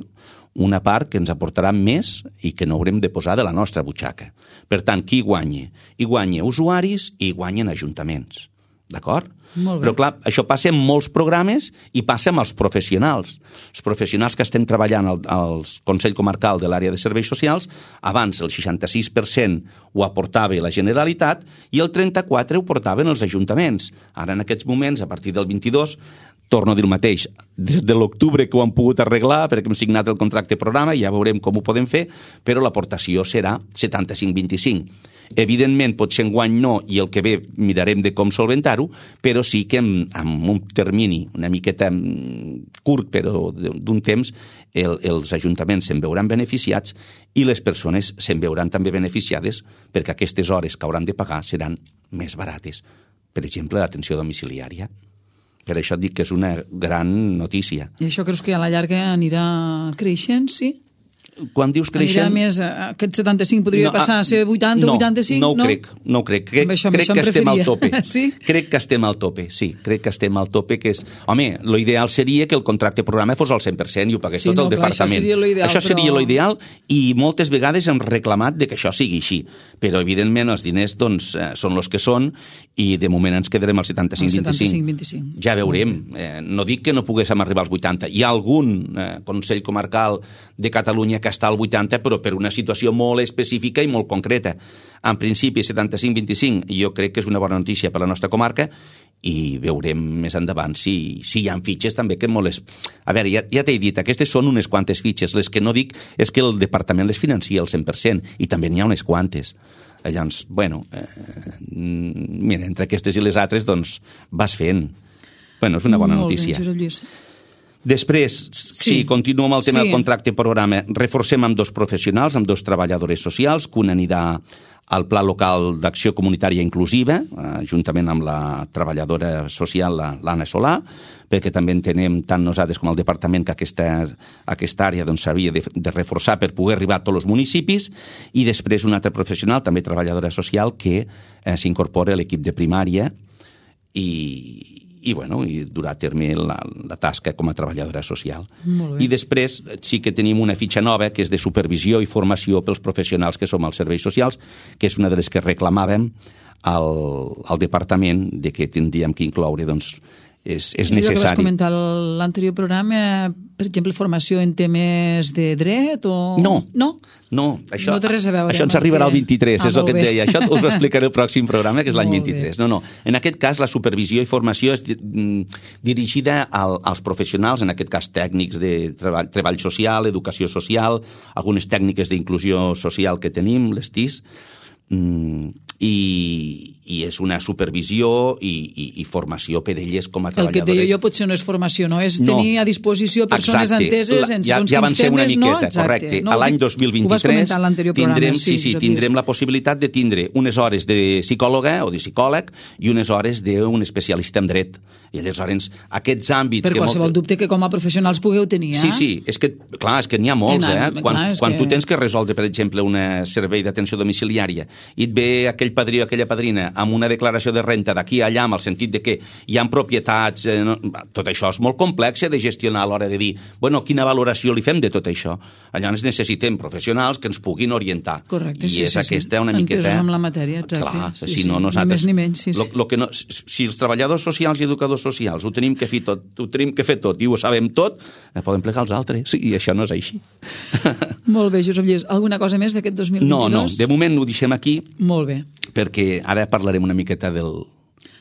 una part que ens aportarà més i que no haurem de posar de la nostra butxaca. Per tant, qui guanya? Hi guanya usuaris i hi guanyen ajuntaments. D'acord? Però clar, això passa en molts programes i passa amb els professionals. Els professionals que estem treballant al, al Consell Comarcal de l'àrea de serveis socials, abans el seixanta-sis per cent ho aportava la Generalitat i el trenta-quatre per cent ho portaven els ajuntaments. Ara en aquests moments, a partir del vint-i-dos, torno a dir el mateix, des de l'octubre que ho han pogut arreglar perquè hem signat el contracte programa i ja veurem com ho podem fer, però l'aportació serà setanta-cinc vint-i-cinc. Evidentment, potser enguany no, i el que ve mirarem de com solventar-ho, però sí que en, en un termini una miqueta curt, però d'un temps, el, els ajuntaments se'n veuran beneficiats i les persones se'n veuran també beneficiades perquè aquestes hores que hauran de pagar seran més barates. Per exemple, l'atenció domiciliària. Per això et dic que és una gran notícia. I això creus que a la llarga anirà creixent, sí? Quan dius creixent... Anirà més, aquest setanta-cinc podria no, passar a ser vuitanta o no, vuitanta-cinc? No, no ho crec, no ho crec. Crec, això, crec que estem al tope. Sí? Crec que estem al tope, sí. Crec que estem al tope, que és... Home, l'ideal seria que el contracte programa fos al cent per cent i ho pagués sí, tot no, el clar, departament. Això seria l'ideal, això seria però... l'ideal i moltes vegades hem reclamat de que això sigui així. Però, evidentment, els diners doncs, són els que són i de moment ens quedarem al setanta-cinc vint-i-cinc. Ja veurem. Eh, no dic que no poguéssim arribar als vuitanta. Hi ha algun eh, Consell Comarcal de Catalunya que està al vuitanta, però per una situació molt específica i molt concreta. En principi, setanta-cinc vint-i-cinc, jo crec que és una bona notícia per a la nostra comarca i veurem més endavant si, si hi ha fitxes també que molt... Es... A veure, ja, ja t'he dit, aquestes són unes quantes fitxes. Les que no dic és que el departament les financia al cent per cent i també n'hi ha unes quantes. Llavors, bueno, eh, mira, entre aquestes i les altres, doncs, vas fent. Bueno, és una bona molt notícia. Bé, Josep Lluís. Després, sí, sí continuo amb el tema sí. del contracte programa. Reforcem amb dos professionals, amb dos treballadores socials, que un anirà al Pla Local d'Acció Comunitària Inclusiva, eh, juntament amb la treballadora social, l'Anna Solà, perquè també entenem tant nosaltres com el departament que aquesta, aquesta àrea doncs, s'havia de, de reforçar per poder arribar a tots els municipis, i després un altre professional, també treballadora social, que eh, s'incorpora a l'equip de primària i... i, bueno, i durà a terme la, la tasca com a treballadora social. I després sí que tenim una fitxa nova que és de supervisió i formació pels professionals que som als serveis socials, que és una de les que reclamàvem al, al departament de que tindríem que incloure, doncs, és, és necessari. És que vas comentar l'anterior programa, per exemple, formació en temes de dret o... No, no, no això, no té res a veure. Això ens arribarà al vint-i-tres, ah, és el que et deia. Això us ho explicaré el pròxim programa, que és l'any vint-i-tres. No, no. En aquest cas, la supervisió i formació és dirigida al, als professionals, en aquest cas tècnics de treball, treball social, educació social, algunes tècniques d'inclusió social que tenim, les T I S, mm, i, i és una supervisió i, i, i formació per elles com a treballadores. El que et deia jo potser no és formació, no? És tenir no. a disposició persones Exacte. enteses en ja, segons ja quins temes, miqueta, no? Exacte. Correcte. No, a l'any dos mil vint-i-tres tindrem, sí, sí, tindrem la possibilitat de tindre unes hores de psicòloga o de psicòleg i unes hores d'un especialista en dret. I aleshores aquests àmbits... Per que qualsevol molt... dubte que com a professionals pugueu tenir, eh? Sí, sí, és que, clar, és que n'hi ha molts, eh? Quan, clar, quan que... tu tens que resoldre, per exemple, un servei d'atenció domiciliària i et ve aquell padrí o aquella padrina amb una declaració de renta d'aquí a allà, amb el sentit de que hi ha propietats... Eh, no, tot això és molt complex de gestionar a l'hora de dir, bueno, quina valoració li fem de tot això? Llavors necessitem professionals que ens puguin orientar. Correcte, I sí, és sí, aquesta sí. una miqueta... Entesos amb la matèria, exacte. Clar, sí, si sí. no, nosaltres... Ni més ni menys, sí, sí. Lo, lo que no, si els treballadors socials i educadors socials ho tenim que fer tot, ho tenim que fer tot i ho sabem tot, podem plegar els altres. Sí, i això no és així. Molt bé, Josep Lluís. Alguna cosa més d'aquest dos mil vint-i-dos? No, no. De moment ho deixem aquí. Molt bé. Perquè ara parlarem una miqueta del,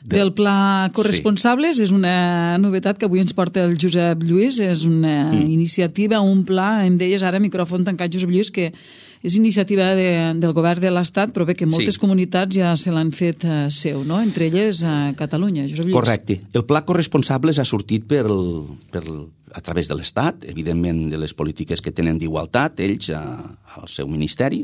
del Pla Corresponsables. Sí. És una novetat que avui ens porta el Josep Lluís. És una mm. iniciativa, un pla, em deies ara, micròfon tancat, Josep Lluís, que és iniciativa de, del govern de l'Estat, però bé que moltes sí. comunitats ja se l'han fet uh, seu, no? Entre elles a Catalunya, Josep Lluís. Correcte. El Pla Corresponsables ha sortit per, per, a través de l'Estat, evidentment de les polítiques que tenen d'igualtat, ells a, al seu ministeri,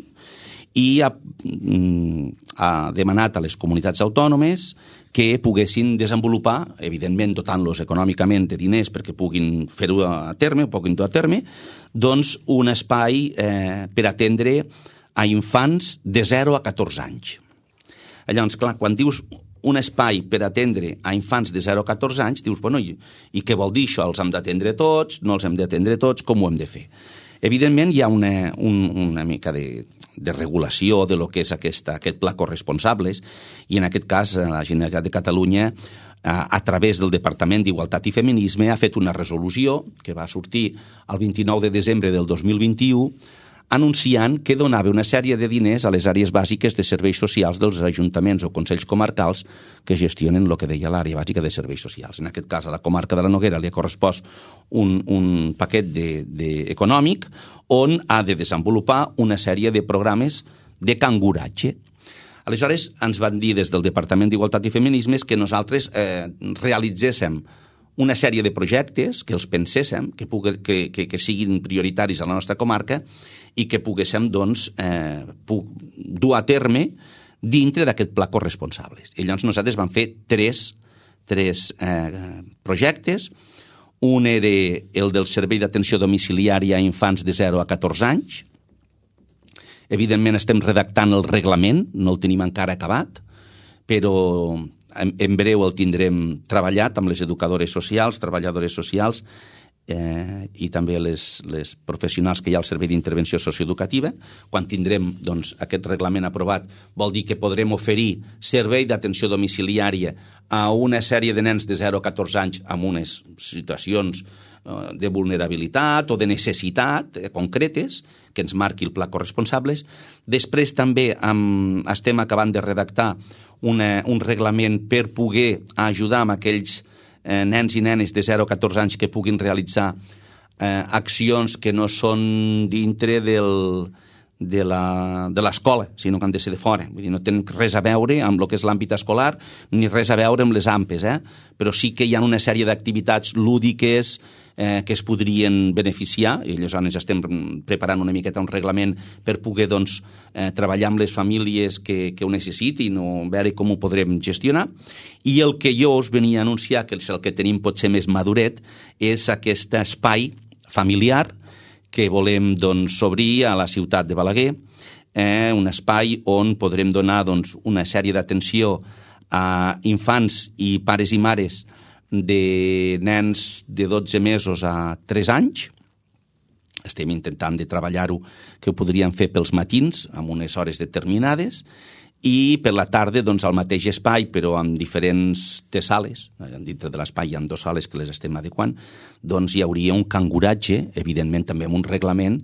i ha, ha demanat a les comunitats autònomes que poguessin desenvolupar, evidentment dotant-los econòmicament de diners perquè puguin fer-ho a terme, o puguin dur a terme, doncs un espai eh, per atendre a infants de zero a catorze anys. Llavors, clar, quan dius un espai per atendre a infants de zero a catorze anys, dius, bueno, i, i què vol dir això? Els hem d'atendre tots? No els hem d'atendre tots? Com ho hem de fer? Evidentment, hi ha una, un, una mica de, de regulació de lo que és aquesta, aquest pla corresponsables, i en aquest cas la Generalitat de Catalunya, a, a través del Departament d'Igualtat i Feminisme, ha fet una resolució que va sortir el vint-i-nou de desembre del dos mil vint-i-u, anunciant que donava una sèrie de diners a les àrees bàsiques de serveis socials dels ajuntaments o consells comarcals que gestionen el que deia l'àrea bàsica de serveis socials. En aquest cas, a la comarca de la Noguera li ha correspost un, un paquet de, de, econòmic on ha de desenvolupar una sèrie de programes de canguratge. Aleshores, ens van dir des del Departament d'Igualtat i Feminismes que nosaltres eh, realitzéssim una sèrie de projectes, que els penséssim, que, pugui, que, que, que siguin prioritaris a la nostra comarca i que poguéssim, doncs, eh, dur a terme dintre d'aquest pla corresponsables. I llavors nosaltres vam fer tres, tres eh, projectes. Un era el del servei d'atenció domiciliària a infants de zero a catorze anys. Evidentment estem redactant el reglament, no el tenim encara acabat, però en, en breu el tindrem treballat amb les educadores socials, treballadores socials, eh, i també les, les professionals que hi ha al Servei d'Intervenció Socioeducativa. Quan tindrem, doncs, aquest reglament aprovat, vol dir que podrem oferir servei d'atenció domiciliària a una sèrie de nens de zero a catorze anys amb unes situacions eh, de vulnerabilitat o de necessitat eh, concretes que ens marqui el pla corresponsables. Després també amb, estem acabant de redactar una, un reglament per poder ajudar amb aquells eh, nens i nenes de zero a catorze anys que puguin realitzar eh, accions que no són dintre del, de l'escola, sinó que han de ser de fora. Vull dir, no tenen res a veure amb el que és l'àmbit escolar ni res a veure amb les AMPes, eh? Però sí que hi ha una sèrie d'activitats lúdiques eh, que es podrien beneficiar, i aleshores estem preparant una miqueta un reglament per poder, doncs, eh, treballar amb les famílies que, que ho necessitin o veure com ho podrem gestionar. I el que jo us venia a anunciar, que és el que tenim potser més maduret, és aquest espai familiar que volem, doncs, obrir a la ciutat de Balaguer, eh, un espai on podrem donar, doncs, una sèrie d'atenció a infants i pares i mares de nens de dotze mesos a tres anys. Estem intentant de treballar-ho, que ho podríem fer pels matins, amb unes hores determinades, i per la tarda, doncs, al mateix espai, però amb diferents sales, dintre de l'espai hi ha dues sales que les estem adequant, doncs hi hauria un canguratge, evidentment també amb un reglament,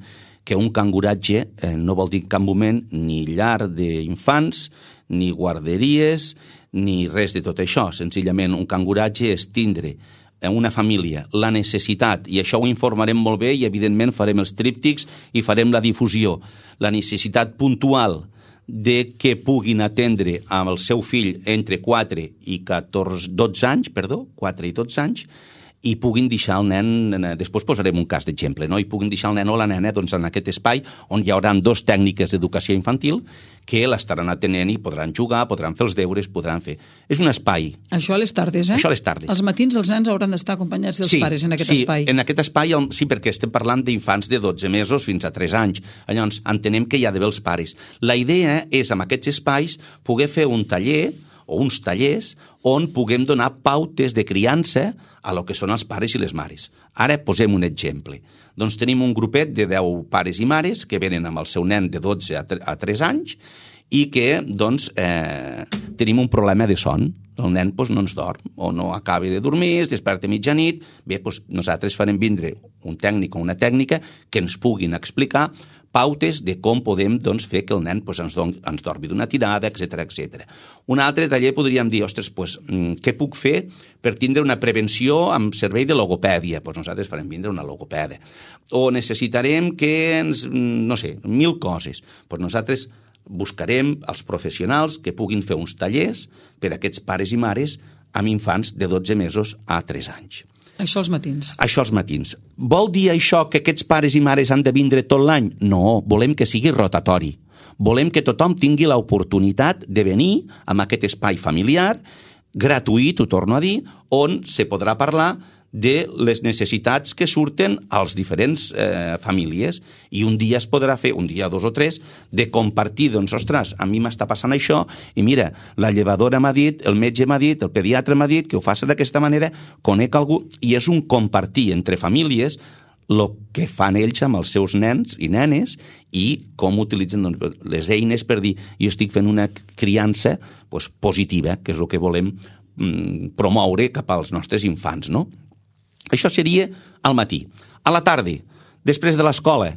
que un canguratge eh, no vol dir en cap moment ni llar d'infants, ni guarderies, ni res de tot això. Senzillament, un canguratge és tindre en una família la necessitat, i això ho informarem molt bé i evidentment farem els tríptics i farem la difusió, la necessitat puntual de que puguin atendre amb el seu fill entre quatre i catorze, dotze anys, perdó, quatre i dotze anys, i puguin deixar el nen, després posarem un cas d'exemple, no? I puguin deixar el nen o la nena, doncs, en aquest espai on hi haurà dos tècniques d'educació infantil que l'estaran atenent i podran jugar, podran fer els deures, podran fer... És un espai. Això a les tardes, eh? Això a les tardes. Els matins els nens hauran d'estar acompanyats dels sí, pares en aquest sí, espai. Sí, en aquest espai, sí, perquè estem parlant d'infants de dotze mesos fins a tres anys. Llavors, entenem que hi ha d'haver els pares. La idea és, amb aquests espais, poder fer un taller o uns tallers on puguem donar pautes de criança a lo que són els pares i les mares. Ara posem un exemple. Doncs tenim un grupet de deu pares i mares que venen amb el seu nen de dotze a tres anys i que, doncs, eh, tenim un problema de son. El nen, doncs, no ens dorm o no acaba de dormir, es desperta a mitjanit. Bé, doncs, nosaltres farem vindre un tècnic o una tècnica que ens puguin explicar pautes de com podem doncs, fer que el nen pues, ens, don, ens dormi d'una tirada, etcètera etcètera. Un altre taller podríem dir, ostres, pues, què puc fer per tindre una prevenció amb servei de logopèdia? Pues nosaltres farem vindre una logopèdia. O necessitarem que ens, no sé, mil coses. Pues nosaltres buscarem els professionals que puguin fer uns tallers per a aquests pares i mares amb infants de dotze mesos a tres anys. Això als matins. Això als matins. Vol dir això que aquests pares i mares han de vindre tot l'any? No, volem que sigui rotatori. Volem que tothom tingui l'oportunitat de venir amb aquest espai familiar, gratuït, ho torno a dir, on se podrà parlar de les necessitats que surten als diferents eh, famílies i un dia es podrà fer, un dia, dos o tres, de compartir, doncs, ostres, a mi m'està passant això i mira, la llevadora m'ha dit, el metge m'ha dit, el pediatre m'ha dit que ho faci d'aquesta manera, conec algú, i és un compartir entre famílies el que fan ells amb els seus nens i nenes i com utilitzen doncs, les eines per dir jo estic fent una criança doncs, positiva, que és el que volem mm, promoure cap als nostres infants, no? Això seria al matí. A la tarda, després de l'escola,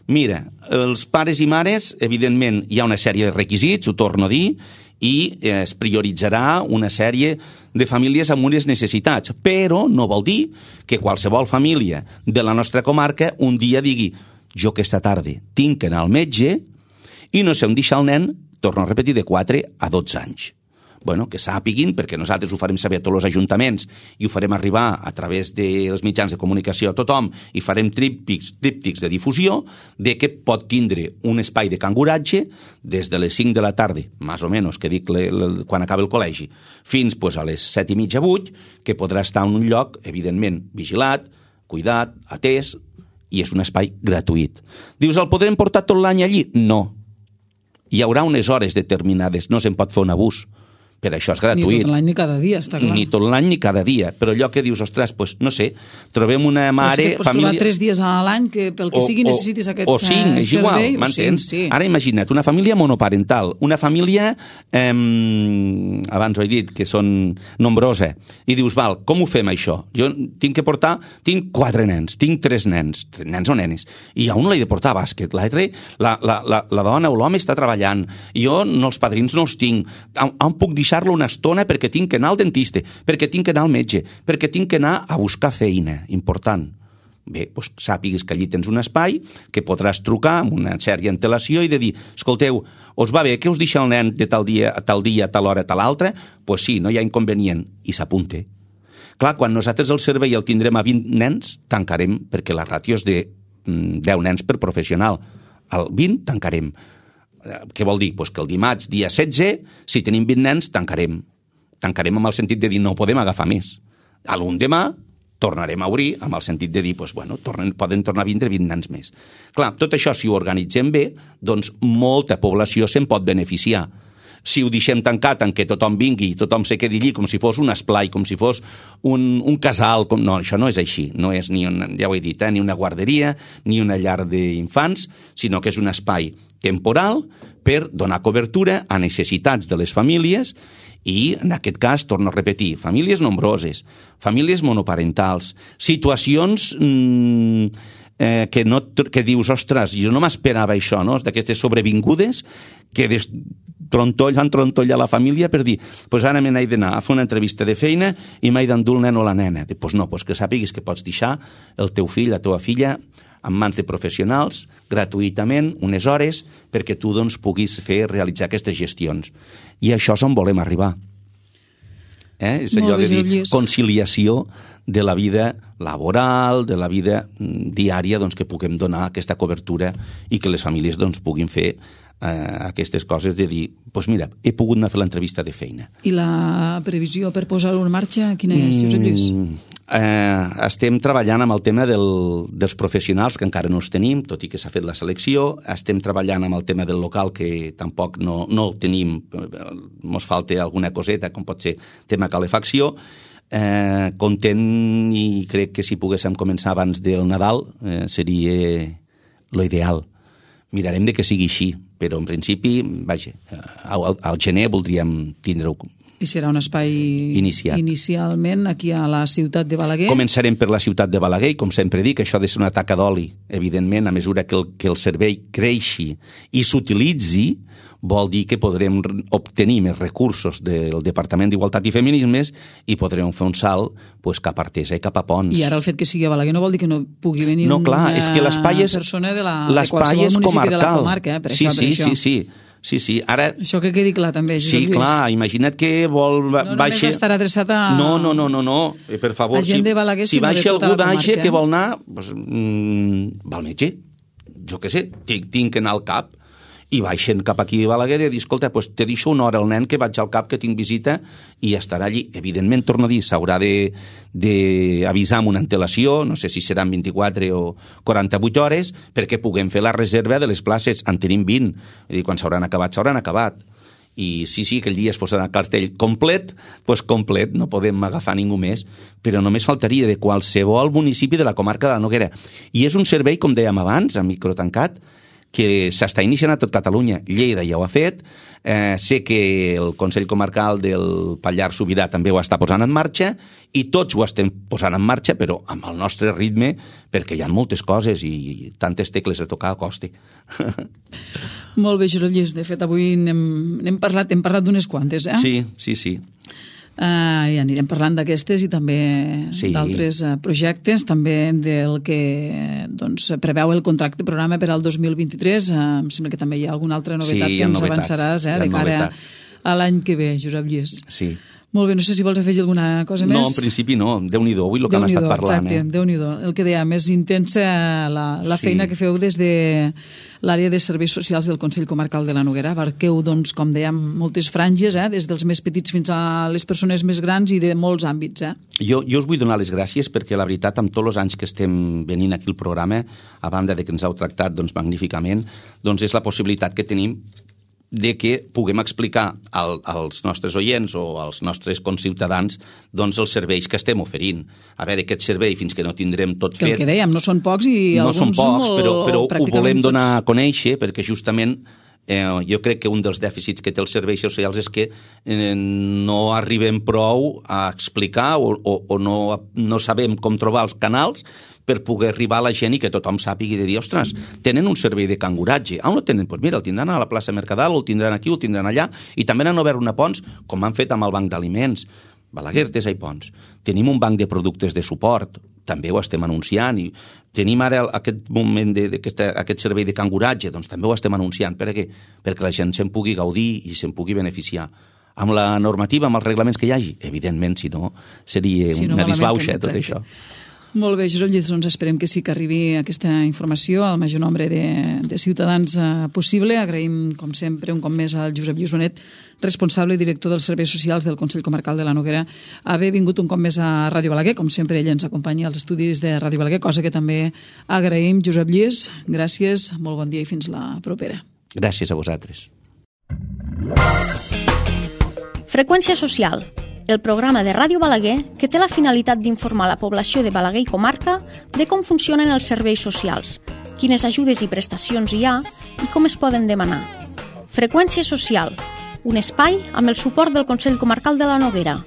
mira, els pares i mares, evidentment, hi ha una sèrie de requisits, ho torno a dir, i es prioritzarà una sèrie de famílies amb unes necessitats, però no vol dir que qualsevol família de la nostra comarca un dia digui jo aquesta tarda tinc que anar al metge i no sé on deixar el nen, torno a repetir, de quatre a dotze anys. Bueno, que sàpiguin, perquè nosaltres ho farem saber a tots els ajuntaments i ho farem arribar a través dels mitjans de comunicació a tothom i farem tríptics, tríptics de difusió de que pot tindre un espai de canguratge des de les cinc de la tarda, més o menys, que dic le, le, quan acaba el col·legi, fins pues, a les set i mitja, vuit, que podrà estar en un lloc, evidentment, vigilat, cuidat, atès, i és un espai gratuït. Dius, el podrem portar tot l'any allí? No. Hi haurà unes hores determinades, no se'n pot fer un abús. Per això és gratuït. Ni tot l'any ni cada dia, està clar. Ni tot l'any ni cada dia. Però allò que dius, ostres, pues, no sé, trobem una mare... O sigui, pots família... trobar tres dies a l'any que pel que o, sigui necessitis aquest o cinc, eh, és igual, servei. m'entens? Sí, sí. Ara imagina't, una família monoparental, una família, eh, abans ho he dit, que són nombrosa, i dius, val, com ho fem això? Jo tinc que portar, tinc quatre nens, tinc tres nens, nens o nenes, i a un l'he de portar a bàsquet, l'altre, la, la, la, la dona o l'home està treballant, jo no, els padrins no els tinc, on, on puc deixar-lo una estona perquè tinc que anar al dentista, perquè tinc que anar al metge, perquè tinc que anar a buscar feina, important. Bé, doncs sàpigues que allí tens un espai que podràs trucar amb una sèrie antelació i de dir, escolteu, us va bé que us deixa el nen de tal dia a tal dia, a tal hora, a tal altra? Doncs pues sí, no hi ha inconvenient, i s'apunte. Clar, quan nosaltres el servei el tindrem a vint nens, tancarem, perquè la ràtio és de deu nens per professional. Al vint tancarem. Què vol dir? Pues que el dimarts, dia setze, si tenim vint nens, tancarem. Tancarem amb el sentit de dir no podem agafar més. A l'endemà tornarem a obrir amb el sentit de dir pues, bueno, tornen, poden tornar a vindre vint nens més. Clar, tot això, si ho organitzem bé, doncs molta població se'n pot beneficiar. Si ho deixem tancat en què tothom vingui i tothom se quedi allí com si fos un esplai, com si fos un, un casal, com... no, això no és així, no és ni una, ja ho he dit, eh, ni una guarderia, ni una llar d'infants, sinó que és un espai temporal per donar cobertura a necessitats de les famílies i, en aquest cas, torno a repetir, famílies nombroses, famílies monoparentals, situacions mmm, eh, que, no, que dius, ostres, jo no m'esperava això, no? D'aquestes sobrevingudes que des trontoll fan trontoll a la família per dir, pues ara me n'he d'anar a fer una entrevista de feina i m'he d'endur el nen o la nena. Doncs pues no, pues que sàpigues que pots deixar el teu fill, la teva filla, en mans de professionals, gratuïtament, unes hores, perquè tu doncs, puguis fer, realitzar aquestes gestions. I això és on volem arribar. Eh? És allò de dir conciliació de la vida laboral, de la vida diària, doncs, que puguem donar aquesta cobertura i que les famílies doncs, puguin fer eh, aquestes coses de dir, doncs pues mira, he pogut anar a fer l'entrevista de feina. I la previsió per posar-ho en marxa, quina és, Josep Lluís? Mm, eh, estem treballant amb el tema del, dels professionals, que encara no els tenim, tot i que s'ha fet la selecció. Estem treballant amb el tema del local, que tampoc no, no el tenim, ens falta alguna coseta, com pot ser tema calefacció. Eh, content i crec que si poguéssim començar abans del Nadal eh, seria lo ideal. Mirarem de que sigui així, però en principi, vaja, al, al gener voldríem tindre-ho I serà un espai iniciat. Inicialment aquí a la ciutat de Balaguer. Començarem per la ciutat de Balaguer i, com sempre dic, això ha de ser una taca d'oli. Evidentment, a mesura que el, que el servei creixi i s'utilitzi, vol dir que podrem obtenir més recursos del Departament d'Igualtat i Feminismes i podrem fer un salt pues, cap a Artesa i cap a Pons. I ara el fet que sigui a Balaguer no vol dir que no pugui venir no, clar, una és que l'espai és, persona de, la, de qualsevol municipi comarcal. De la comarca. Eh? Per sí, això, sí, per això. sí, sí. Sí, sí, ara... Això que quedi clar també, Josep Sí, Lluís. clar, imagina't que vol... No només baixa... estarà adreçat a... No, no, no, no, no. Per favor, a gent si, de Balaguer, si sinó de baixa tota algú la d'Age comarca. que vol anar, doncs, mm, va al metge. Jo què sé, tinc, tinc que anar al cap. I baixen cap aquí a Balaguer i dir, escolta, pues te deixo una hora al nen que vaig al cap, que tinc visita, i estarà allí. Evidentment, torno a dir, s'haurà d'avisar amb una antelació, no sé si seran vint-i-quatre o quaranta-vuit hores, perquè puguem fer la reserva de les places. En tenim vint. És dir, quan s'hauran acabat, s'hauran acabat. I sí, sí, aquell dia es posarà el cartell complet, doncs complet, no podem agafar ningú més, però només faltaria de qualsevol municipi de la comarca de la Noguera. I és un servei, com dèiem abans, a microtancat, que s'està iniciant a tot Catalunya. Lleida ja ho ha fet, eh, sé que el Consell Comarcal del Pallars Sobirà també ho està posant en marxa i tots ho estem posant en marxa, però amb el nostre ritme, perquè hi ha moltes coses i tantes tecles a tocar a costa. Molt bé, Josep Lluís. De fet, avui n'hem, n'hem parlat, hem parlat d'unes quantes, eh? Sí, sí, sí. Uh, i anirem parlant d'aquestes i també sí. d'altres uh, projectes, també del que doncs, preveu el contracte programa per al dos mil vint-i-tres. Uh, em sembla que també hi ha alguna altra novetat sí, que ens novetats, avançaràs eh, de cara novetats. A l'any que ve, Josep Lluís. Sí. Molt bé, no sé si vols afegir alguna cosa més. No, en principi no, Déu-n'hi-do, avui el que hem estat parlant. Exacte, eh? Déu-n'hi-do. El que deia, més intensa la, la sí. feina que feu des de l'àrea de serveis socials del Consell Comarcal de la Noguera. Abarqueu, doncs, com dèiem, moltes franges, eh? Des dels més petits fins a les persones més grans i de molts àmbits. Eh? Jo, jo us vull donar les gràcies perquè, la veritat, amb tots els anys que estem venint aquí al programa, a banda de que ens heu tractat doncs, magníficament, doncs és la possibilitat que tenim de que puguem explicar al, als nostres oients o als nostres conciutadans doncs els serveis que estem oferint. A veure, aquest servei, fins que no tindrem tot que fet... El que dèiem, no són pocs i no alguns són pocs, molt, però, però ho volem donar tots... a conèixer perquè justament eh, jo crec que un dels dèficits que té els serveis socials és que eh, no arribem prou a explicar o, o, o no, no sabem com trobar els canals per poder arribar a la gent i que tothom sàpigui de dir, ostres, tenen un servei de canguratge. Ah, on el tenen? Doncs pues mira, el tindran a la plaça Mercadal, el tindran aquí, el tindran allà, i també han obert una Pons, com han fet amb el banc d'aliments. Balaguer, Artesa i Pons. Tenim un banc de productes de suport, també ho estem anunciant, i tenim ara aquest moment de, de aquest, aquest servei de canguratge, doncs també ho estem anunciant. Per què? Perquè la gent se'n pugui gaudir i se'n pugui beneficiar. Amb la normativa, amb els reglaments que hi hagi? Evidentment, si no, seria si no, una disbauxa, tot això. Molt bé, Josep Lluís, doncs esperem que sí que arribi aquesta informació al major nombre de, de ciutadans eh, possible. Agraïm, com sempre, un cop més al Josep Lluís Bonet, responsable i director dels serveis socials del Consell Comarcal de la Noguera, haver vingut un cop més a Ràdio Balaguer. Com sempre, ell ens acompanya als estudis de Ràdio Balaguer, cosa que també agraïm. Josep Lluís, gràcies, molt bon dia i fins la propera. Gràcies a vosaltres. Freqüència social, el programa de Ràdio Balaguer que té la finalitat d'informar la població de Balaguer i comarca de com funcionen els serveis socials, quines ajudes i prestacions hi ha i com es poden demanar. Freqüència social, un espai amb el suport del Consell Comarcal de la Noguera.